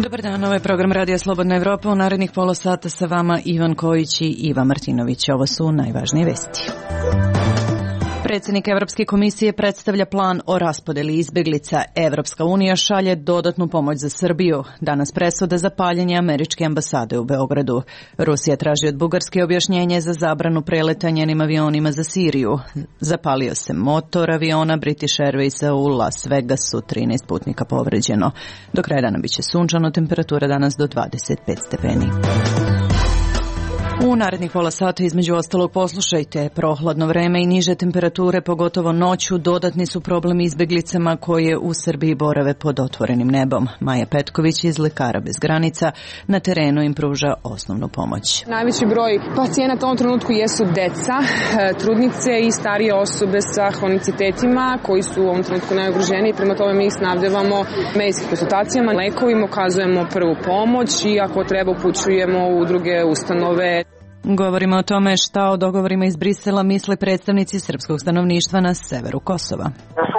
Dobar dan, ovo je program Radija Slobodna Evropa. U narednih pola sata sa vama Ivan Kojić i Iva Martinović. Ovo su najvažnije vesti. Predsjednik Evropske komisije predstavlja plan o raspodeli izbeglica. Evropska unija šalje dodatnu pomoć za Srbiju. Danas presuda za paljenje američke ambasade u Beogradu. Rusija traži od Bugarske objašnjenje za zabranu preleta njenim avionima za Siriju. Zapalio se motor aviona British Airwaysa u Las Vegasu, 13 putnika povređeno. Do kraja dana biće sunčano, temperatura danas do 25 stepeni. U narednih pola sata između ostalog poslušajte, prohladno vreme i niže temperature, pogotovo noću, dodatni su problem izbeglicama koje u Srbiji borave pod otvorenim nebom. Maja Petković iz Lekara bez granica na terenu im pruža osnovnu pomoć. Najveći broj pacijenata u ovom trenutku jesu deca, trudnice i starije osobe sa hronicitetima koji su u ovom trenutku najugroženiji. Prema tome mi ih snabdevamo medicinskim konsultacijama, lekovima, ukazujemo prvu pomoć i ako treba upućujemo u druge ustanove. Govorimo o tome šta o dogovorima iz Brisela misle predstavnici srpskog stanovništva na severu Kosova.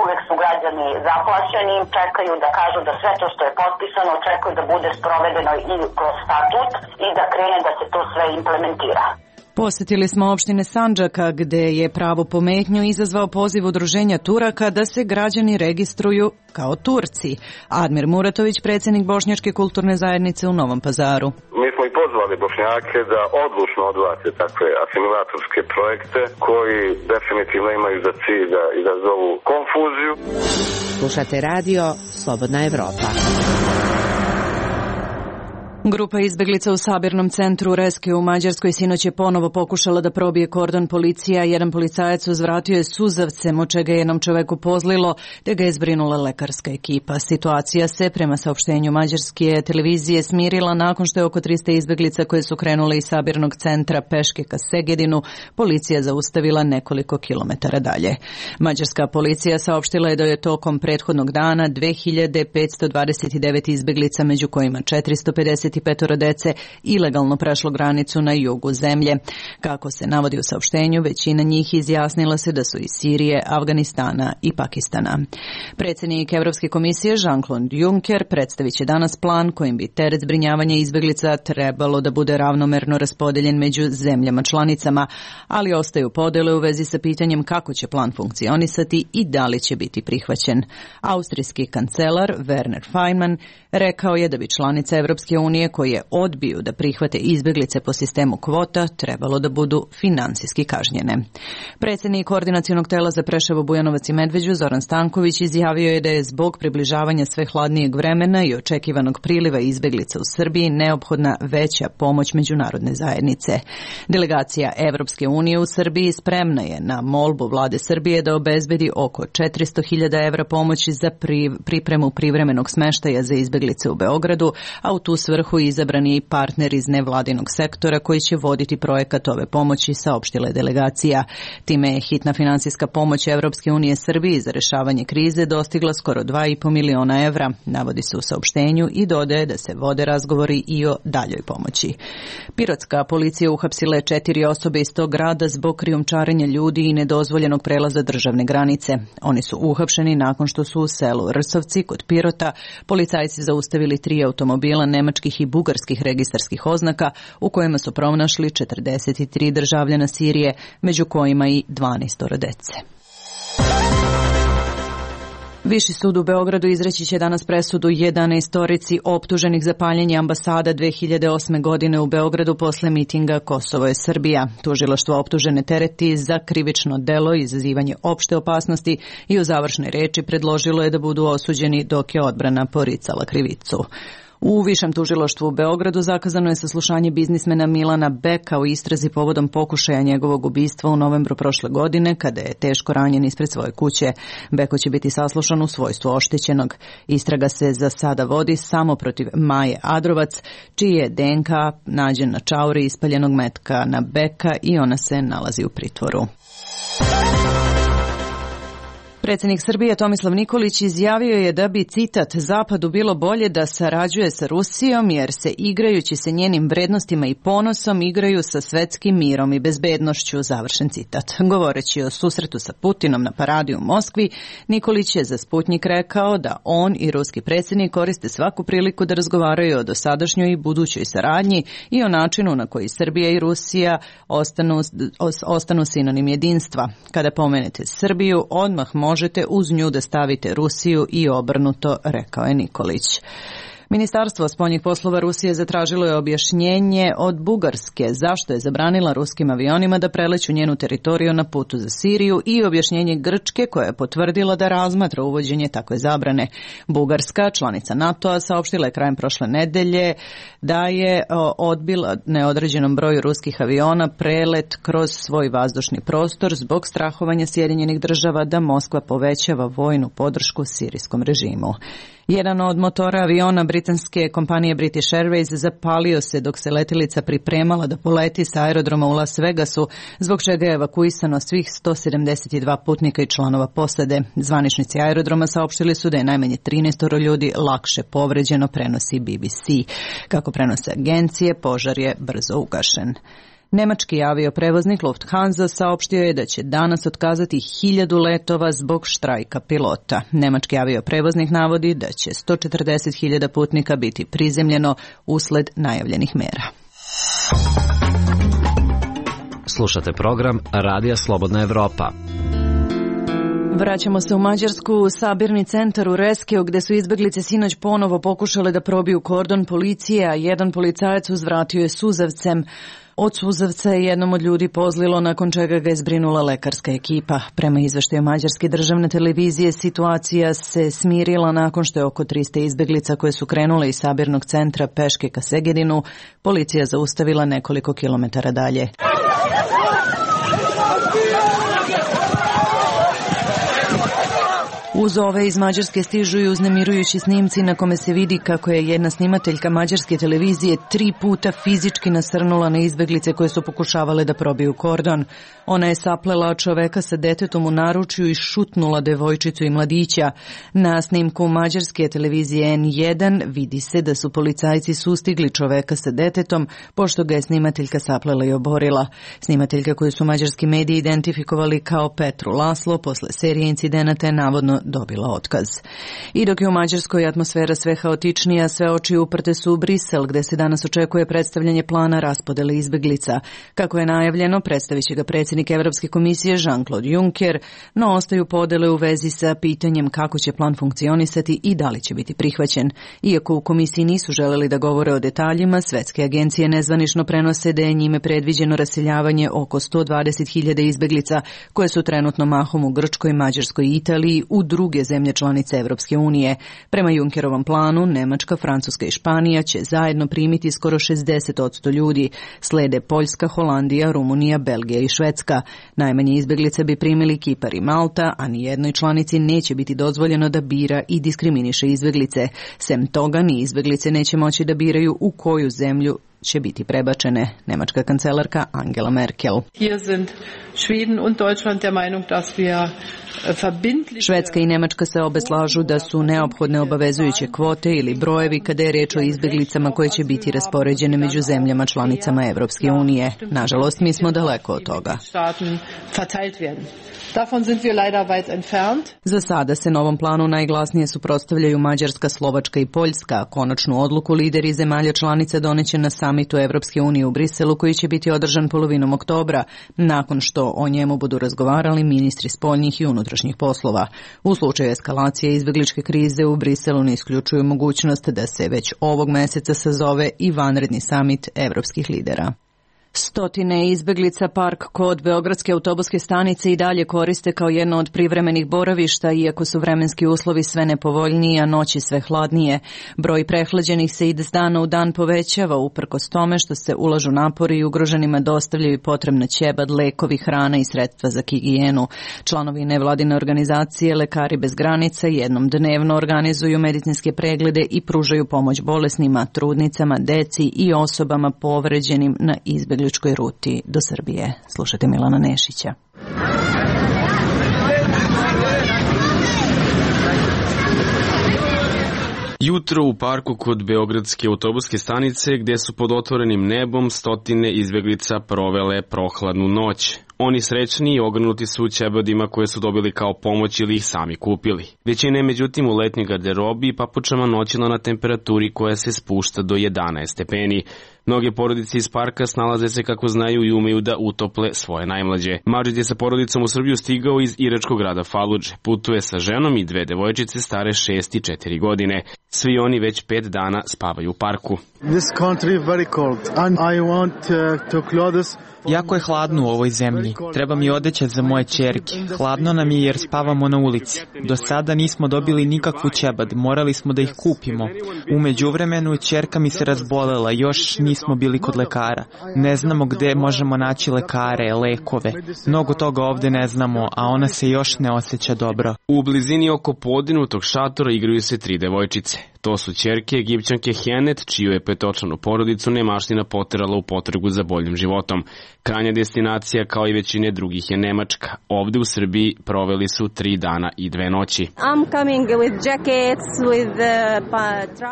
Uvek su građani zaplašeni, čekaju da kažu da sve to što je potpisano, čekaju da bude sprovedeno i kroz statut i da krene da se to sve implementira. Posjetili smo opštine Sandžaka gde je pravo pometnju izazvao poziv udruženja Turaka da se građani registruju kao Turci. Admir Muratović, predsjednik Bošnjačke kulturne zajednice u Novom Pazaru. Mi smo i pozvali Bošnjake da odlučno odbace takve asimilatorske projekte koji definitivno imaju za cilj da izazovu konfuziju. Slušate radio Slobodna Evropa. Grupa izbeglica u sabirnom centru Reske u Mađarskoj sinoć je ponovo pokušala da probije kordon policija. Jedan policajac uzvratio je suzavcem, od čega je jednom čoveku pozlilo, te ga je zbrinula lekarska ekipa. Situacija se, prema saopštenju mađarske televizije, smirila nakon što je oko 300 izbeglica koje su krenule iz sabirnog centra peške ka Segedinu policija zaustavila nekoliko kilometara dalje. Mađarska policija saopštila je da je tokom prethodnog dana 2529 izbeglica, među kojima 455 dece, ilegalno prešlo granicu na jugu zemlje. Kako se navodi u saopštenju, većina njih izjasnila se da su iz Sirije, Afganistana i Pakistana. Predsjednik Evropske komisije Jean-Claude Juncker predstavit će danas plan kojim bi teret zbrinjavanja izbeglica trebalo da bude ravnomerno raspodeljen među zemljama članicama, ali ostaju podele u vezi sa pitanjem kako će plan funkcionisati i da li će biti prihvaćen. Austrijski kancelar Werner Faymann rekao je da bi članice Evropske unije koje odbiju da prihvate izbeglice po sistemu kvota trebalo da budu finansijski kažnjene. Predsjednik Koordinacionog tela za Preševo, Bujanovac i Medveđu Zoran Stanković izjavio je da je zbog približavanja sve hladnijeg vremena i očekivanog priliva izbeglica u Srbiji neophodna veća pomoć međunarodne zajednice. Delegacija Evropske unije u Srbiji spremna je na molbu vlade Srbije da obezbedi oko 400.000 evra pomoći za pripremu privremenog smeštaja za izbeglice u Beogradu, a u tu svrhu izabran je i partner iz nevladinog sektora koji će voditi projekat ove pomoći, saopštila je delegacija. Time je hitna finansijska pomoć Evropske unije Srbiji za rešavanje krize dostigla skoro 2,5 miliona evra, navodi se u saopštenju i dodaje da se vode razgovori i o daljoj pomoći. Pirotska policija uhapsila je 4 osobe iz tog grada zbog krijumčarenja ljudi i nedozvoljenog prelaza državne granice. Oni su uhapšeni nakon što su u selu Rsovci kod Pirota policajci zaustavili 3 automobila nemačkih i bugarskih registarskih oznaka u kojima su pronašli 43 državljana Sirije, među kojima i 12 dece. Viši sud u Beogradu izreći će danas presudu 11 optuženih za paljenje ambasada 2008. godine u Beogradu posle mitinga Kosovo je Srbija. Tužilaštvo optužene tereti za krivično delo i izazivanje opšte opasnosti i u završnoj reči predložilo je da budu osuđeni dok je odbrana poricala krivicu. U Višem tužilaštvu u Beogradu zakazano je saslušanje biznismena Milana Beka u istrazi povodom pokušaja njegovog ubistva u novembru prošle godine, kada je teško ranjen ispred svoje kuće. Beko će biti saslušan u svojstvu oštećenog. Istraga se za sada vodi samo protiv Maje Adrovac, čiji je DNK nađen na čauri ispaljenog metka na Beka i ona se nalazi u pritvoru. Predsjednik Srbije Tomislav Nikolić izjavio je da bi, citat, Zapadu bilo bolje da sarađuje sa Rusijom jer se igrajući se njenim vrednostima i ponosom igraju sa svetskim mirom i bezbednošću, završen citat. Govoreći o susretu sa Putinom na paradi u Moskvi, Nikolić je za Sputnjik rekao da on i ruski predsjednik koriste svaku priliku da razgovaraju o dosadašnjoj i budućoj saradnji i o načinu na koji Srbija i Rusija ostanu sinonim jedinstva. Kada pomenete Srbiju, odmah možete uz nju da stavite Rusiju i obrnuto, rekao je Nikolić. Ministarstvo spoljnih poslova Rusije zatražilo je objašnjenje od Bugarske zašto je zabranila ruskim avionima da preleću njenu teritoriju na putu za Siriju i objašnjenje Grčke koja je potvrdila da razmatra uvođenje takve zabrane. Bugarska, članica NATO-a, saopštila je krajem prošle nedelje da je odbila neodređenom broju ruskih aviona prelet kroz svoj vazdušni prostor zbog strahovanja Sjedinjenih država da Moskva povećava vojnu podršku sirijskom režimu. Jedan od motora aviona britanske kompanije British Airways zapalio se dok se letilica pripremala da poleti sa aerodroma u Las Vegasu, zbog čega je evakuisano svih 172 putnika i članova posade. Zvaničnici aerodroma saopštili su da je najmanje 13 ljudi lakše povređeno, prenosi BBC. Kako prenose agencije, požar je brzo ugašen. Nemački avioprevoznik Lufthansa saopštio je da će danas otkazati 1000 letova zbog štrajka pilota. Nemački avioprevoznik navodi da će 140.000 putnika biti prizemljeno usled najavljenih mera. Slušate program Radija Slobodna Evropa. Vraćamo se u Mađarsku, u sabirni centar u Reskeu, gde su izbeglice sinoć ponovo pokušale da probiju kordon policije, a jedan policajac uzvratio je suzavcem. Od suzavca je jednom od ljudi pozlilo, nakon čega ga je zbrinula lekarska ekipa. Prema izveštaju Mađarske državne televizije, situacija se smirila nakon što je oko 300 izbeglica koje su krenule iz sabirnog centra peške ka Segedinu policija zaustavila nekoliko kilometara dalje. Uz ove iz Mađarske stižu i uznemirujući snimci na kome se vidi kako je jedna snimateljka mađarske televizije 3 puta fizički nasrnula na izbeglice koje su pokušavale da probiju kordon. Ona je saplela čoveka sa detetom u naručju i šutnula devojčicu i mladića. Na snimku mađarske televizije N1 vidi se da su policajci sustigli čoveka sa detetom, pošto ga je snimateljka saplela i oborila. Snimateljka koju su mađarski mediji identifikovali kao Petru Laslo posle serije incidenata je navodno dobila otkaz. I dok je u Mađarskoj atmosfera sve haotičnija, sve oči uprte su u Brisel, gde se danas očekuje predstavljanje plana raspodele izbeglica. Kako je najavljeno, predstavit će ga predsjednik Evropske komisije Jean-Claude Juncker, no ostaju podele u vezi sa pitanjem kako će plan funkcionisati i da li će biti prihvaćen. Iako u komisiji nisu želeli da govore o detaljima, svetske agencije nezvanično prenose da je njime predviđeno raseljavanje oko 120.000 izbeglica koje su trenutno mahom u Grčkoj, Mađarskoj i Italiji u druge zemlje članice Evropske unije. Prema Junckerovom planu, Nemačka, Francuska i Španija će zajedno primiti skoro 60% ljudi. Slede Poljska, Holandija, Rumunija, Belgija i Švedska. Najmanje izbeglice bi primili Kipar i Malta, a ni jednoj članici neće biti dozvoljeno da bira i diskriminiše izbeglice. Sem toga, ni izbeglice neće moći da biraju u koju zemlju će biti prebačene. Nemačka kancelarka Angela Merkel. Švedska i Nemačka se obe slažu da su neophodne obavezujuće kvote ili brojevi kada je reč o izbeglicama koje će biti raspoređene među zemljama članicama Evropske unije. Nažalost, mi smo daleko od toga. Za sada se novom planu najglasnije suprotstavljaju Mađarska, Slovačka i Poljska. Konačnu odluku lideri zemalja članica doneće na samitu Evropske unije u Briselu, koji će biti održan polovinom oktobra, nakon što o njemu budu razgovarali ministri spoljnih i unutrašnjih poslova. U slučaju eskalacije izbegličke krize u Briselu ne isključuju mogućnost da se već ovog meseca sazove i vanredni samit evropskih lidera. Stotine izbeglica park kod Beogradske autobuske stanice i dalje koriste kao jedno od privremenih boravišta, iako su vremenski uslovi sve nepovoljniji, a noći sve hladnije. Broj prehlađenih se iz dana u dan povećava, uprkos tome što se ulažu napori i ugroženima dostavljaju potrebna ćebad, lekovi, hrana i sredstva za higijenu. Članovi nevladine organizacije Lekari bez granica jednom dnevno organizuju medicinske preglede i pružaju pomoć bolesnima, trudnicama, deci i osobama povređenim na izbegličkoj ruti do Srbije. Slušajte Milana Nešića. Ujutro u parku kod Beogradske autobuske stanice gde su pod otvorenim nebom stotine izbeglica provele prohladnu noć. Oni srećni i ogrnuti su ćebadima koje su dobili kao pomoć ili ih sami kupili. Većina je međutim u letnjoj garderobi i papučama noćila na temperaturi koja se spušta do 11 stepeni. Mnoge porodice iz parka snalaze se kako znaju i umeju da utople svoje najmlađe. Madžid je sa porodicom u Srbiju stigao iz iračkog grada Faludže. Putuje sa ženom i dve devojčice stare 6 i 4 godine. Svi oni već 5 dana spavaju u parku. Jako je hladno u ovoj zemlji. Treba mi odeća za moje ćerke. Hladno nam je jer spavamo na ulici. Do sada nismo dobili nikakvu ćebad, morali smo da ih kupimo. U međuvremenu ćerka mi se razbolela, još nismo bili kod lekara. Ne znamo gde možemo naći lekare, lekove. Mnogo toga ovde ne znamo, a ona se još ne osjeća dobro. U blizini oko podignutog šatora igraju se 3 devojčice. To su ćerke Egipćanke Henet, čiju je 5-očlanu porodicu nemaština poterala u potragu za boljim životom. Krajnja destinacija, kao i većine drugih, je Nemačka. Ovde u Srbiji proveli su 3 dana i 2 noći.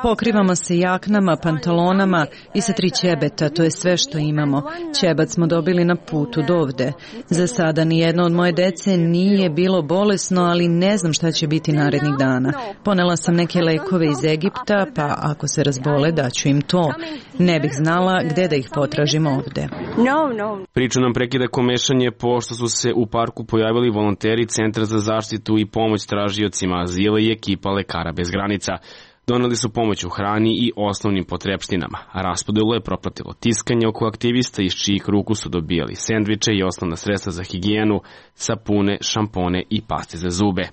Pokrivamo se jaknama, pantalonama i sa 3 ćebeta, to je sve što imamo. Ćebat smo dobili na putu do ovde. Za sada nijedno od moje dece nije bilo bolesno, ali ne znam šta će biti narednih dana. Ponela sam neke lekove iz Egipta, pa ako se razbole daću im to. Ne bih znala gde da ih potražim ovde. Priču nam prekida komešanje pošto su se u parku pojavili volonteri Centra za zaštitu i pomoć tražiocima azila i ekipa Lekara bez granica. Doneli su pomoć u hrani i osnovnim potrepštinama, a raspodelu je propratilo tiskanje oko aktivista iz čijih ruku su dobijali sendviče i osnovna sredstva za higijenu, sapune, šampone i paste za zube.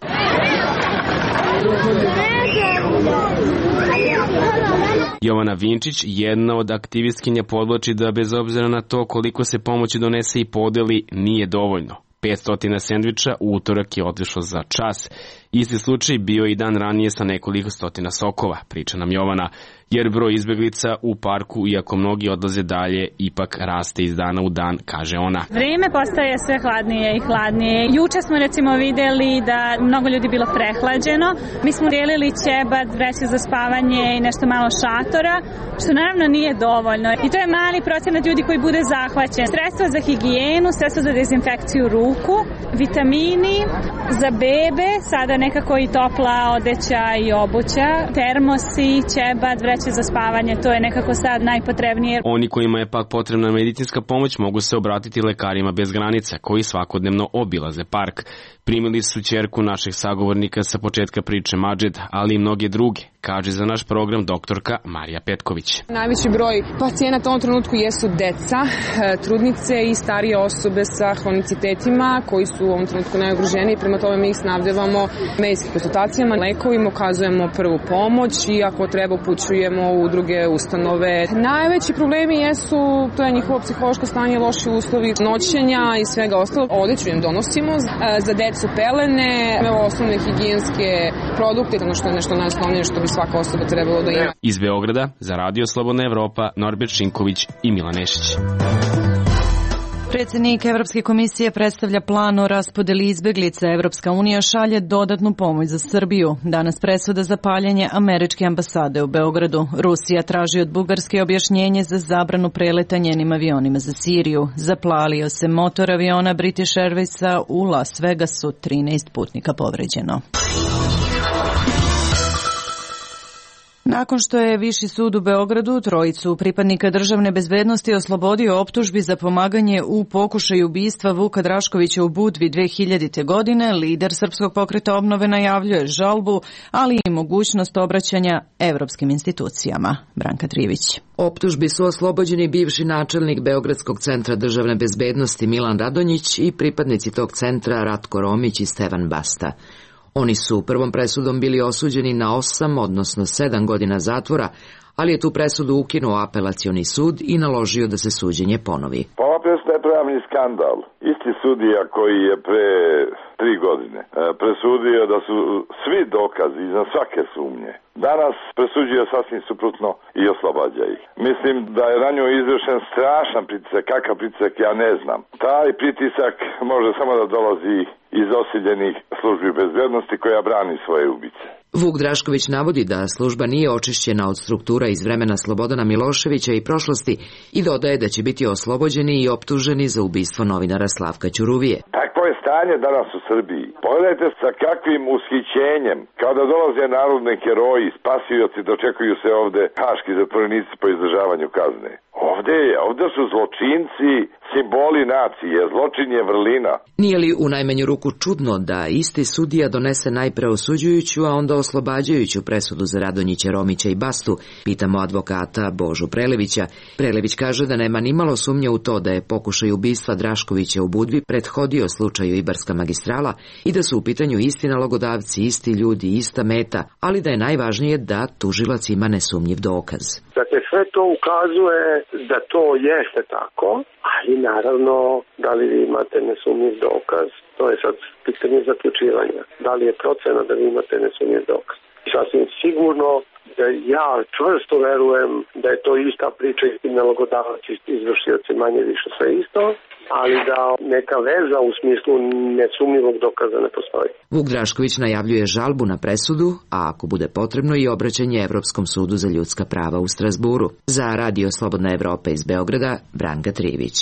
Jovana Vinčić, jedna od aktivistkinja, podvlači da bez obzira na to koliko se pomoći donese i podeli, nije dovoljno. 500 sendviča u utorak je otišlo za čas. Isti slučaj bio i dan ranije sa nekoliko stotina sokova, priča nam Jovana, jer broj izbeglica u parku, iako mnogi odlaze dalje, ipak raste iz dana u dan, kaže ona. Vreme postaje sve hladnije i hladnije. Juče smo recimo videli da mnogo ljudi bilo prehlađeno. Mi smo dijelili ćebad, vreće za spavanje i nešto malo šatora, što naravno nije dovoljno. I to je mali procenat ljudi koji bude zahvaćen. Sredstva za higijenu, sredstva za dezinfekciju ruku, vitamini, za bebe, sada nekako i topla odeća i obuća, termosi, ćebad, vreće za spavanje, to je nekako sad najpotrebnije. Oni kojima je pak potrebna medicinska pomoć mogu se obratiti Lekarima bez granica, koji svakodnevno obilaze park. Primili su ćerku naših sagovornika sa početka priče Madžid, ali i mnoge druge, kaže za naš program doktorka Marija Petković. Najveći broj pacijenata u ovom trenutku jesu deca, trudnice i starije osobe sa hronicitetima koji su u ovom trenutku najugroženiji. Prema tome mi ih snabdevamo medicinskim konsultacijama, lekovima, ukazujemo prvu pomoć i ako treba upućujemo u druge ustanove. Najveći problemi jesu, to je njihovo psihološko stanje, loši uslovi noćenja i svega ostalog. Odeću im donosimo, za decu pelene, osnovne higijenske produkte, ono što je nešto najosnovnije što bi svaka osoba trebalo da ima. Iz Beograda za Radio Slobodna Evropa, Norbert Šinković i Milan Nešić. Predsjednik Evropske komisije predstavlja plan o raspodeli izbeglica. Evropska unija šalje dodatnu pomoć za Srbiju. Danas presuda za paljenje američke ambasade u Beogradu. Rusija traži od Bugarske objašnjenje za zabranu preleta njenim avionima za Siriju. Zaplalio se motor aviona British Airwaysa u Las Vegasu, 13 putnika povređeno. Nakon što je Viši sud u Beogradu trojicu pripadnika državne bezbednosti oslobodio optužbi za pomaganje u pokušaju ubistva Vuka Draškovića u Budvi 2000. godine, lider Srpskog pokreta obnove najavljuje žalbu, ali i mogućnost obraćanja evropskim institucijama. Branka Trivić. Optužbi su oslobođeni bivši načelnik Beogradskog centra državne bezbednosti Milan Radonjić i pripadnici tog centra Ratko Romić i Stevan Basta. Oni su prvom presudom bili osuđeni na 8, odnosno 7 godina zatvora, ali je tu presudu ukinuo apelacioni sud i naložio da se suđenje ponovi. Ova presuda je pravni skandal. Isti sudija koji je pre 3 godine presudio da su svi dokazi iznad svake sumnje. Danas presuđuje sasvim suprotno i oslobađa ih. Mislim da je na njoj izvršen strašan pritisak, kakav pritisak ja ne znam. Taj pritisak može samo da dolazi iz osiljenih službi bezbednosti koja brani svoje ubice. Vuk Drašković navodi da služba nije očišćena od struktura iz vremena Slobodana Miloševića i prošlosti i dodaje da će biti oslobođeni i optuženi za ubistvo novinara Slavka Ćuruvije. Takvo je stanje danas u Srbiji. Pogledajte sa kakvim ushićenjem, kao da dolaze narodni heroji, spasioci, dočekuju se ovde haški zatvorenici po izdržavanju kazne. Ovde su zločinci simboli nacije, zločin je vrlina. Nije li u najmanju ruku čudno da isti sudija donese najpre osuđujuću, a onda oslobađajuću presudu za Radonjića, Romića i Bastu, pitamo advokata Božu Prelevića. Prelević kaže da nema nimalo sumnje u to da je pokušaj ubistva Draškovića u Budvi prethodio slučaju Ibarska magistrala i da su u pitanju isti nalogodavci, isti ljudi, ista meta, ali da je najvažnije da tužilac ima nesumnjiv dokaz. Dakle, sve to ukazuje da to jeste tako, ali naravno, da li vi imate nesumnjiv dokaz, to je sad pitanje zaključivanja. Da li je procena da vi imate nesumnjiv dokaz? Sasvim sigurno da ja čvrsto verujem da je to ista priča, isti nalogodavac, izvršioci, manje više sve isto, ali da neka veza u smislu nesumnjivog dokaza ne postoji. Vuk Drašković najavljuje žalbu na presudu, a ako bude potrebno i obraćanje Evropskom sudu za ljudska prava u Strazburu. Za Radio Slobodna Evropa iz Beograda, Branka Trivić.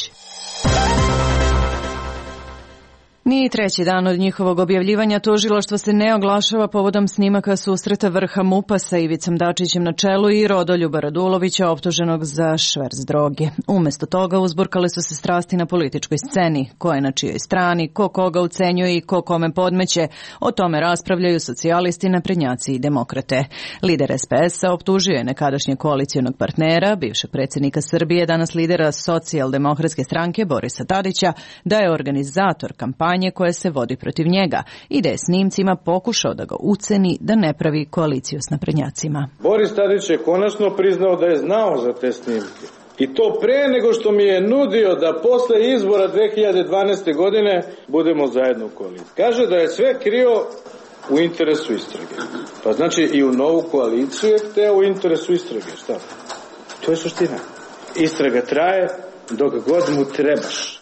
Ni treći dan od njihovog objavljivanja tužilaštvo se ne oglašava povodom snimaka susreta vrha MUP-a sa Ivicom Dačićem na čelu i Rodoljuba Radulovića optuženog za šverc droge. Umesto toga uzburkale su se strasti na političkoj sceni. Ko je na čijoj strani, ko koga ucenjuje i ko kome podmeće. O tome raspravljaju socijalisti, naprednjaci i demokrate. Lider SPS-a optužio je nekadašnjeg koalicijonog partnera, bivšeg predsjednika Srbije, danas lidera Socijaldemokratske stranke Borisa Tadića, da je organizator kampanje koje se vodi protiv njega i da je snimcima pokušao da ga uceni da ne pravi koaliciju s naprednjacima. Boris Tadić je konačno priznao da je znao za te snimke. I to pre nego što mi je nudio da posle izbora 2012. godine budemo zajedno u koaliciji. Kaže da je sve krio u interesu istrage. Pa znači i u novu koaliciju je hteo u interesu istrage. Šta? To je suština. Istraga traje dok god mu trebaš.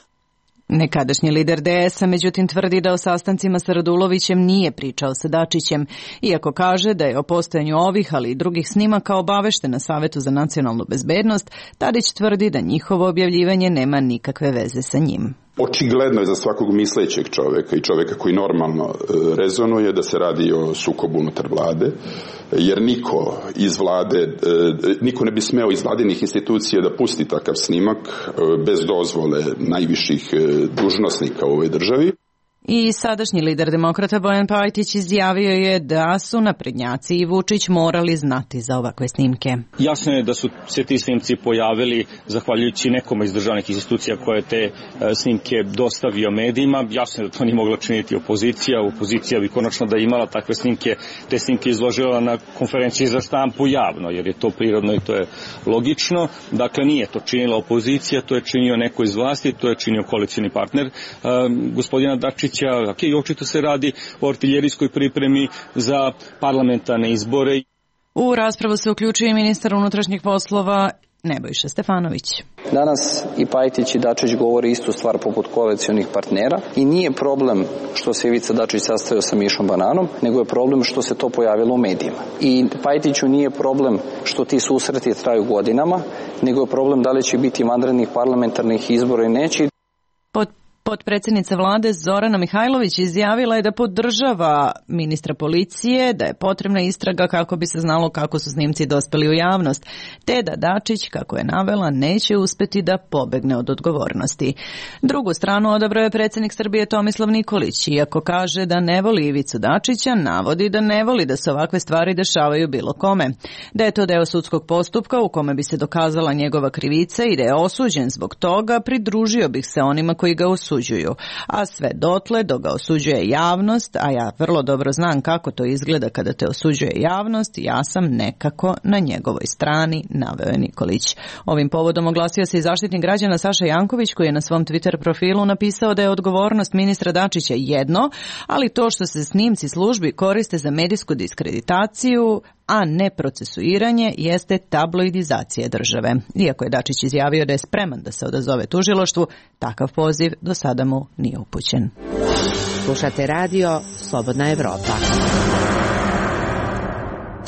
Nekadašnji lider DS-a međutim tvrdi da o sastancima sa Radulovićem nije pričao sa Dačićem, iako kaže da je o postojanju ovih, ali i drugih snimaka obavešten na Savetu za nacionalnu bezbednost. Tadić tvrdi da njihovo objavljivanje nema nikakve veze sa njim. Očigledno je za svakog mislećeg čoveka i čoveka koji normalno rezonuje da se radi o sukobu unutar vlade, jer niko iz vlade, niko ne bi smeo iz vladinih institucija da pusti takav snimak bez dozvole najviših dužnosnika u ovoj državi. I sadašnji lider demokrata Bojan Pajtić izjavio je da su naprednjaci i Vučić morali znati za ovakve snimke. Jasno je da su se ti snimci pojavili zahvaljujući nekome iz državnih institucija koje te snimke dostavio medijima. Jasno je da to nije mogla činiti opozicija. Opozicija bi konačno da imala takve snimke, te snimke izložila na konferenciji za štampu javno, jer je to prirodno i to je logično. Dakle, nije to činila opozicija, to je činio neko iz vlasti, to je činio koalicijni partner gospodina Dačića. I očito se radi o artiljerijskoj pripremi za parlamentarne izbore. U raspravu se uključuje i ministar unutrašnjih poslova Nebojša Stefanović. Danas i Pajtić i Dačić govore istu stvar poput koalicionih partnera i nije problem što se Ivica Dačić sastajao sa Mišom Bananom, nego je problem što se to pojavilo u medijima. I Pajtiću nije problem što ti susreti traju godinama, nego je problem da li će biti vanrednih parlamentarnih izbora i neće. Potpredsjednica vlade Zorana Mihajlović izjavila je da podržava ministra policije, da je potrebna istraga kako bi se znalo kako su snimci dospeli u javnost, te da Dačić, kako je navela, neće uspeti da pobegne od odgovornosti. Drugu stranu odabrao je predsjednik Srbije Tomislav Nikolić, iako kaže da ne voli Ivicu Dačića, navodi da ne voli da se ovakve stvari dešavaju bilo kome. Da je to deo sudskog postupka u kome bi se dokazala njegova krivica i da je osuđen zbog toga, pridružio bih se onima koji ga osuđuju. A sve dotle dok ga osuđuje javnost, a ja vrlo dobro znam kako to izgleda kada te osuđuje javnost, ja sam nekako na njegovoj strani, naveo je Nikolić. Ovim povodom oglasio se i zaštitnik građana Saša Janković, koji je na svom Twitter profilu napisao da je odgovornost ministra Dačića jedno, ali to što se snimci službi koriste za medijsku diskreditaciju, a ne procesuiranje, jeste tabloidizacija države. Iako je Dačić izjavio da je spreman da se odazove tužilaštvu, takav poziv do sada mu nije upućen. Slušate radio Slobodna Evropa.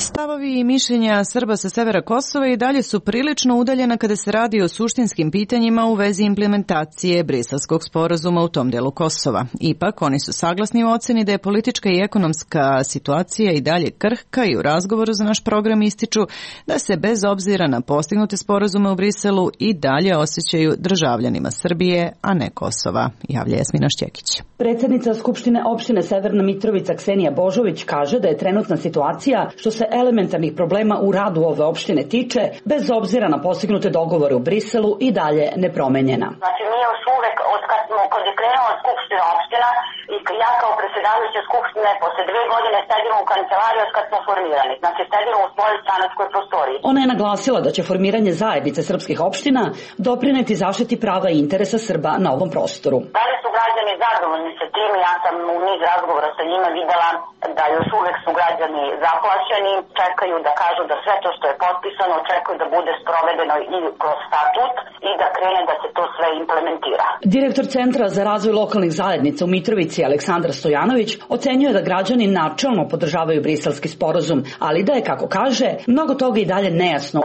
Stavovi i mišljenja Srba sa severa Kosova i dalje su prilično udaljena kada se radi o suštinskim pitanjima u vezi implementacije Briselskog sporazuma u tom delu Kosova. Ipak, oni su saglasni u oceni da je politička i ekonomska situacija i dalje krhka i u razgovoru za naš program ističu da se bez obzira na postignute sporazume u Briselu i dalje osjećaju državljanima Srbije, a ne Kosova, javlja Jasmina Šćekić. Predsjednica Skupštine opštine Severna Mitrovica Ksenija Božović kaže da je trenutna situacija što se elementarnih problema u radu ove opštine tiče, bez obzira na postignute dogovore u Briselu i dalje nepromenjena. Znači mi još uvek, kad je krenula Skupština opština i ja kao predsjedavajuća Skupštine posle 2 godine sedimo u kancelariji od kad smo formirani. Znači sedimo u svojoj stanarskoj prostoriji. Ona je naglasila da će formiranje zajednice srpskih opština doprineti zaštiti prava i interesa Srba na ovom prostoru. Da li su građani zadovoljni sa tim? Ja sam u niz razgovora sa njima videla da još uvek su građani zaplašeni, čekaju da kažu da sve to što je potpisano, čekaju da bude sprovedeno i kroz statut i da krene da se to sve implementira. Direktor Centra za razvoj lokalnih zajednica u Mitrovici Aleksandar Stojanović ocenjuje da građani načelno podržavaju briselski sporazum, ali da je, kako kaže, mnogo toga i dalje nejasno.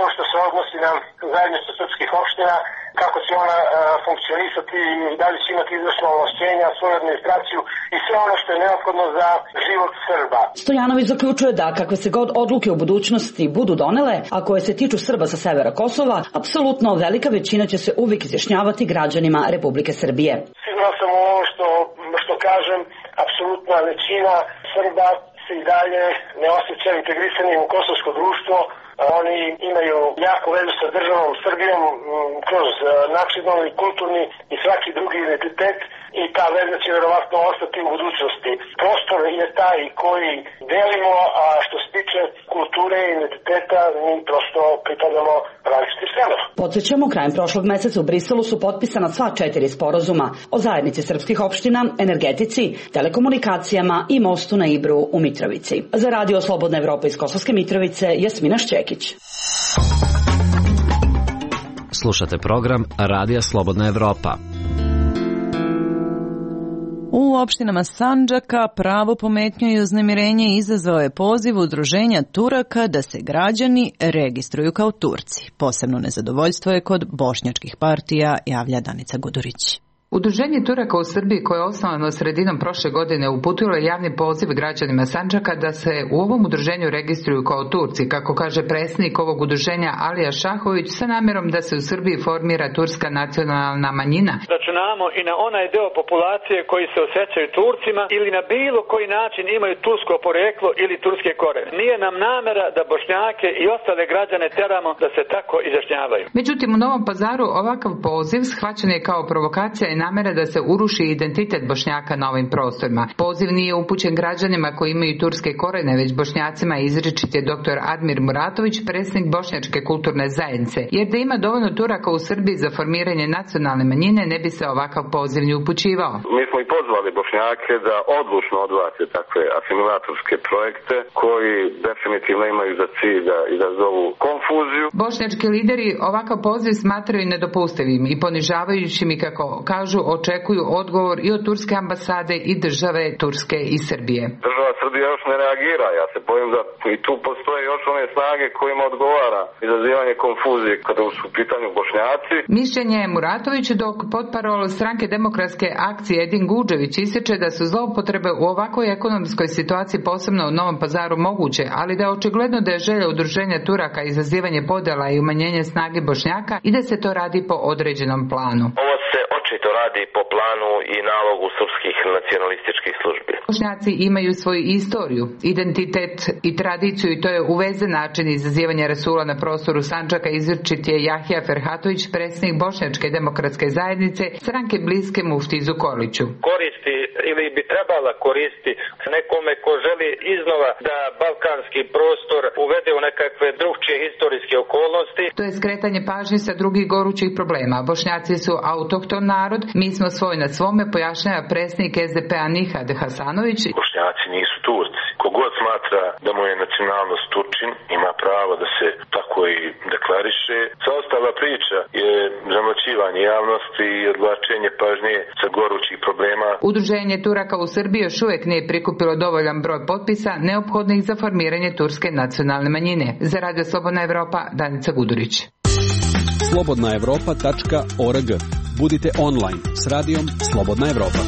To što se odnosi na zajednicu srpskih opština, kako će ona funkcionisati i da li će imati izvršno ovlašćenja, svoju administraciju i sve ono što je neophodno za život Srba. Stojanović zaključuje da kakve se god odluke u budućnosti budu donele, a koje se tiču Srba sa severa Kosova, apsolutno velika većina će se uvijek izjašnjavati građanima Republike Srbije. Siguran sam u ovo što kažem, apsolutna većina Srba se i dalje ne osjeća integrisanim u kosovsko društvo. Oni imaju jako vezu sa državom Srbijom kroz nacionalni, kulturni i svaki drugi identitet i ta veza će verovatno ostati u budućnosti. Prostor je taj koji delimo, a što se tiče kulture i identiteta, mi prosto pripadamo različitim stranama. Podsjećamo, krajem prošlog meseca u Briselu su potpisana sva 4 sporazuma o zajednici srpskih opština, energetici, telekomunikacijama i mostu na Ibru u Mitrovici. Za Radio Slobodna Evropa iz Kosovske Mitrovice, Jasmina Šćekić. Slušate program Radija Slobodna Evropa. U opštinama Sandžaka pravo pometnju i uznemirenje izazvao je poziv udruženja Turaka da se građani registruju kao Turci. Posebno nezadovoljstvo je kod bošnjačkih partija, javlja Danica Gudurić. Udruženje Turaka u Srbiji, koje je osnovano sredinom prošle godine, uputilo je javni poziv građanima Sandžaka da se u ovom udruženju registruju kao Turci, kako kaže predsjednik ovog udruženja Alija Šahović, sa namjerom da se u Srbiji formira turska nacionalna manjina. Računamo i na onaj deo populacije koji se osjećaju Turcima ili na bilo koji način imaju tursko poreklo ili turske korene. Nije nam namera da Bošnjake i ostale građane teramo da se tako izjašnjavaju. Međutim, u Novom Pazaru ovakav poziv shvaćen je kao provokacija i namera da se uruši identitet Bošnjaka na ovim prostorima. Poziv nije upućen građanima koji imaju turske korene, već Bošnjacima izričit je dr. Admir Muratović, predsjednik Bošnjačke kulturne zajednice. Jer da ima dovoljno Turaka u Srbiji za formiranje nacionalne manjine, ne bi se ovakav poziv ni upućivao. Mi smo i pozvali Bošnjake da odlučno odbace takve asimilatorske projekte koji definitivno imaju za cilj da izazovu konfuziju. Bošnjački lideri ovakav poziv smatraju nedopustivim i ponižavajućim i, kako kažu, očekuju odgovor i od turske ambasade i države Turske i Srbije. Država Srbija još ne reagira. Ja se bojim da i tu postoje još one snage kojima odgovara izazivanje konfuzije kada su u pitanju Bošnjaci. Mišljenje je Muratović, dok potparol stranke demokratske akcije Edin Guđević ističe da su zloupotrebe u ovakvoj ekonomskoj situaciji, posebno u Novom Pazaru, moguće, ali da je očigledno da je želja udruženja Turaka izazivanje podjela i umanjenje snage Bošnjaka i da se to radi po određenom planu. Ovo se očito radi po planu i nalogu srpskih nacionalističkih službi. Bošnjaci imaju svoju istoriju, identitet i tradiciju i to je uvezen način izazivanja rasula na prostoru Sandžaka, izričit je Jahja Ferhatović, predsjednik Bošnjačke demokratske zajednice, stranke bliske muftiji Zukorliću. Koristi ili bi trebala koristi nekome ko želi iznova da balkanski prostor uvede u nekakve drugčije historijske okolnosti. To je skretanje pažnje sa drugih gorućih problema. Bošnjaci su autohtona narod, mi smo svoj na svome, pojašnjava predsjednik SDP-a Nihad Hasanović. Bošnjaci nisu Turci. Kogod smatra da mu je nacionalnost Turčin, ima pravo da se tako i deklariše. Sva ostala priča je zamlaćivanje javnosti i odvlačenje pažnje sa gorućih problema. Udruženje Turaka u Srbiji još uvijek nije prikupilo dovoljan broj potpisa neophodnih za formiranje turske nacionalne manjine. Za Radio Slobodna Evropa, Danica Gudurić. slobodnaevropa.org. Budite online s radijom Slobodna Evropa.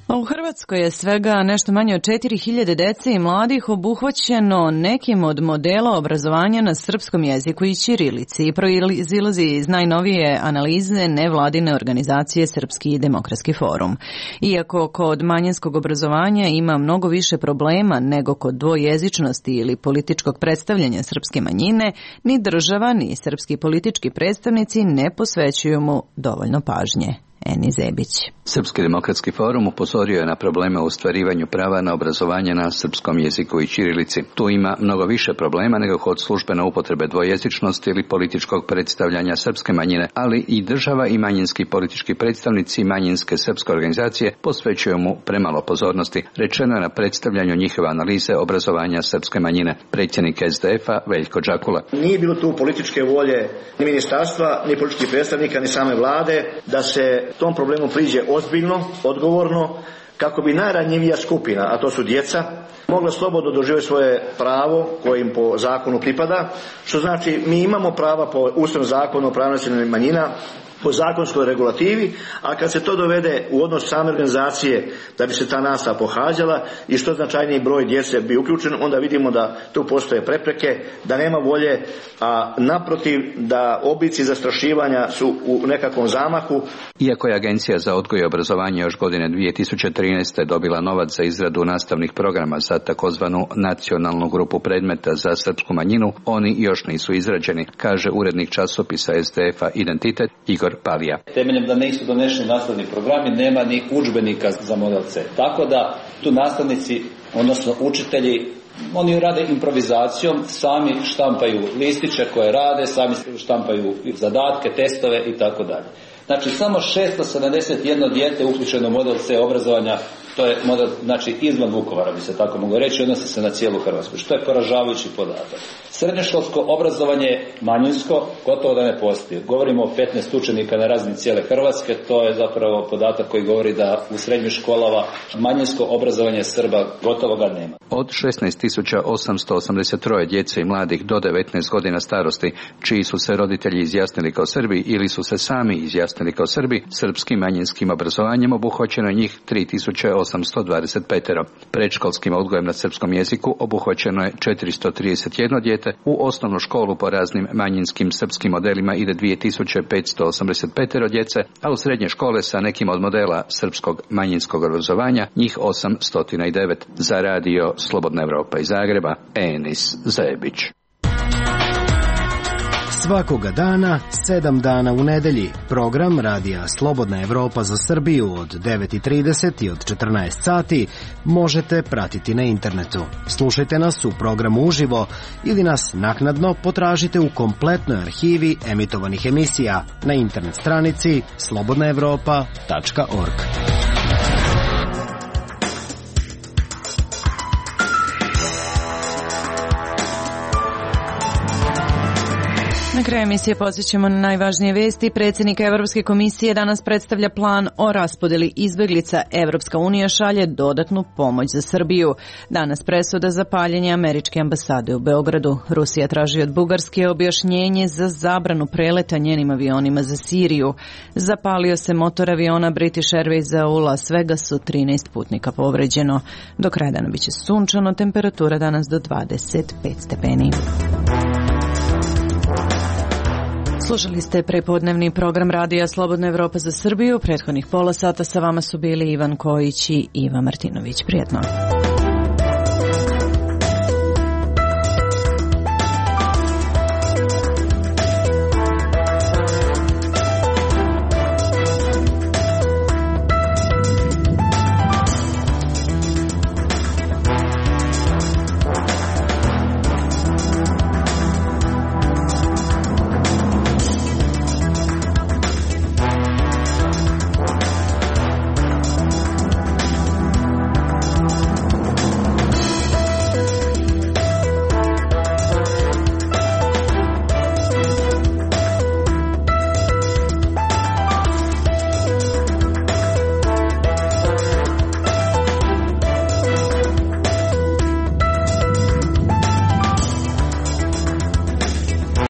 U Hrvatskoj je svega nešto manje od 4000 dece i mladih obuhvaćeno nekim od modela obrazovanja na srpskom jeziku i ćirilici. Proizilazi iz najnovije analize nevladine organizacije Srpski demokratski forum. Iako kod manjinskog obrazovanja ima mnogo više problema nego kod dvojezičnosti ili političkog predstavljanja srpske manjine, ni država ni srpski politički predstavnici ne posvećuju mu dovoljno pažnje. Eni Zebić. Srpski demokratski forum upozorio je na probleme u ostvarivanju prava na obrazovanje na srpskom jeziku i ćirilici. Tu ima mnogo više problema nego kod službene upotrebe dvojezičnosti ili političkog predstavljanja srpske manjine, ali i država i manjinski politički predstavnici manjinske srpske organizacije posvećuju mu premalo pozornosti, rečeno je na predstavljanju njihove analize obrazovanja srpske manjine. Predsjednik SDF-a Veljko Džakula. Nije bilo tu političke volje ni ministarstva, ni političkih predstavnika, ni same vlade da se tom problemu priđe ozbiljno, odgovorno, kako bi najranjivija skupina, a to su djeca, mogla slobodno doživjeti svoje pravo koje im po zakonu pripada, što znači mi imamo prava po Ustavnom zakonu o pravima nacionalnih manjina, po zakonskoj regulativi, a kad se to dovede u odnos same organizacije da bi se ta nastava pohađala i što značajniji broj djece bi uključen, onda vidimo da tu postoje prepreke, da nema volje, a naprotiv da oblici zastrašivanja su u nekakvom zamahu. Iako je Agencija za odgoj i obrazovanje još godine 2013. dobila novac za izradu nastavnih programa za takozvanu nacionalnu grupu predmeta za srpsku manjinu, oni još nisu izrađeni, kaže urednik časopisa SDF-a Identitet Igor Palija. Temeljem da nisu donešeni nastavni programi, nema ni udžbenika za model C. Tako da tu nastavnici, odnosno učitelji, oni rade improvizacijom, sami štampaju listiće koje rade, sami štampaju zadatke, testove i tako dalje. Znači, samo 671 dijete uključeno u model C obrazovanja, to je model, znači, izvan Vukovara, bi se tako moglo reći, odnosi se na cijelu Hrvatsku, što je poražavajući podatak. Srednjoškolsko obrazovanje manjinsko gotovo da ne postoji. Govorimo o 15 učenika na razini cijele Hrvatske, to je zapravo podatak koji govori da u srednjim školama manjinsko obrazovanje Srba gotovo ga nema. Od 16.883 djece i mladih do 19 godina starosti, čiji su se roditelji izjasnili kao Srbi ili su se sami izjasnili kao Srbi, srpskim manjinskim obrazovanjem obuhvaćeno je njih 3.825. Predškolskim odgojem na srpskom jeziku obuhvaćeno je 431 dijete, u osnovnu školu po raznim manjinskim srpskim modelima ide 2.585 djece, a u srednje škole sa nekim od modela srpskog manjinskog obrazovanja njih 809. Za radio Slobodna Evropa iz Zagreba, Enis Zebić. Svakoga dana, 7 dana u nedelji. Program Radija Slobodna Evropa za Srbiju od 9:30 i od 14 sati možete pratiti na internetu. Slušajte nas u programu uživo ili nas naknadno potražite u kompletnoj arhivi emitovanih emisija na internet stranici slobodnaevropa.org. Na kraju emisije podsjećamo na najvažnije vesti. Predsjednik Evropske komisije danas predstavlja plan o raspodeli izbeglica. Evropska unija šalje dodatnu pomoć za Srbiju. Danas presuda za paljenje američke ambasade u Beogradu. Rusija traži od Bugarske objašnjenje za zabranu preleta njenim avionima za Siriju. Zapalio se motor aviona British Airwaysa u Las Vegasu, 13 putnika povređeno. Do kraja dana biće sunčano, temperatura danas do 25 stepeni. Slušali ste prepodnevni program Radija Slobodna Evropa za Srbiju. Prethodnih pola sata sa vama su bili Ivan Kojić i Iva Martinović. Prijetno.